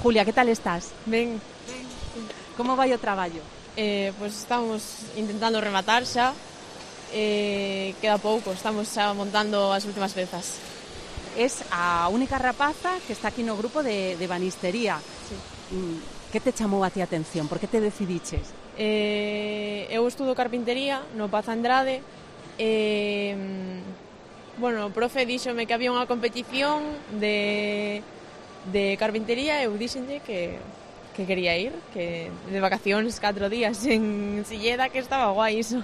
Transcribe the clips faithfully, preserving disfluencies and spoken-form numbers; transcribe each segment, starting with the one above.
Julia, que tal estás? Ben, Como vai o traballo? eh, pois estamos intentando rematar xa, eh, queda pouco, estamos xa montando as últimas pezas. Es a única rapaza que está aquí no grupo de, de banistería. Sí. Mm, Que te chamou a ti a atención? Por que te decidiches? Eh, eu estudo carpintería no Paz Andrade, e, bueno, o profe díxome que había unha competición de, de carpintería e eu díxenlle que, que quería ir, que de vacacións catro días en Silleda, que estaba guai iso.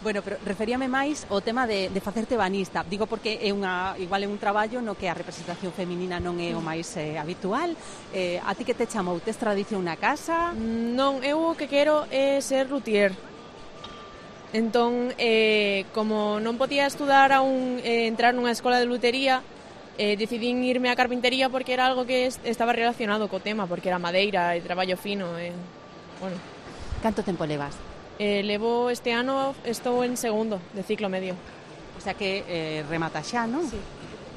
Bueno, pero referíame máis ao tema de, de facerte banista. Digo porque é unha, igual é un traballo no que a representación feminina non é o máis eh, habitual. Eh, a ti que te chamou? Tes tradición na casa? Non, eu o que quero é ser luthier. Entón, eh, como non podía estudar aún, eh, entrar nunha escola de lutería, eh, decidín irme a carpintería porque era algo que est- estaba relacionado co tema, porque era madeira e traballo fino. E, bueno, Canto tempo levas? eh, levo este ano, estou en segundo de ciclo medio. O sea que eh, remata xa, non? Sí.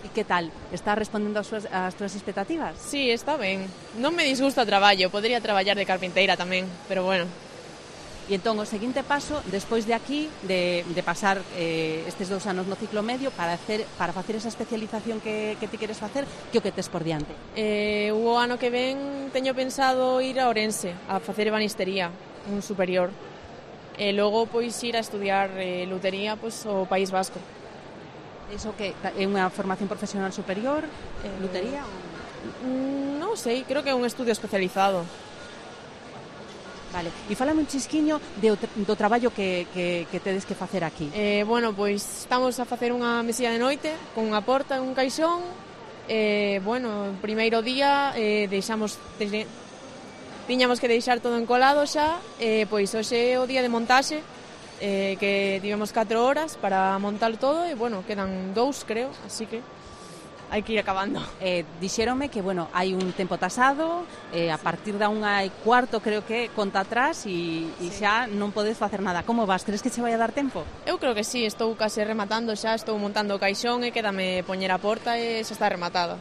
E que tal? Está respondendo ás súas, ás túas expectativas? Sí, está ben. Non me disgusta o traballo, podría traballar de carpinteira tamén, pero bueno. E entón, o seguinte paso, despois de aquí, de, de pasar eh, estes dous anos no ciclo medio, para hacer, para facer esa especialización que, que ti queres facer, que o que tes por diante? Eh, o ano que ven teño pensado ir a Ourense a facer ebanistería, un superior. E logo pois ir a estudiar eh, lutería pois ao País Vasco. Iso que é unha formación profesional superior, Eh, lutería? Mm, non sei, creo que é un estudio especializado. Vale. E fálame un chisquiño de, do traballo que, que, que tedes que facer aquí. Eh, bueno, pois estamos a facer unha mesilla de noite con unha porta e un caixón. Eh, bueno, o primeiro día eh, deixamos de, tiñamos que deixar todo encolado xa, eh, pois hoxe é o día de montaxe, eh, que tivemos catro horas para montar todo e, bueno, quedan dous, creo, así que hai que ir acabando. Eh, dixéronme que, bueno, hai un tempo tasado, eh, a partir da unha e cuarto creo que conta atrás e, e Sí. xa non podes facer nada. Como vas? Crees que che vai a dar tempo? Eu creo que sí, estou case rematando xa, estou montando o caixón e quédame poñer a porta e xa está rematada.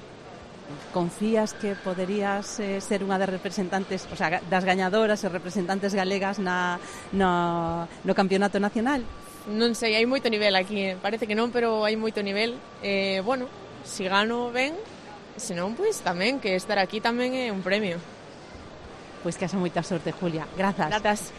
Confías que poderías eh, ser unha das representantes, o sea, das gañadoras e representantes galegas na, no, no campeonato nacional? Non sei, hai moito nivel aquí, eh. Parece que non, pero hai moito nivel. Eh, bueno, si gano ben, senón, pois tamén, que estar aquí tamén é un premio. Pois que haxa moita sorte, Julia. Grazas. Gratas.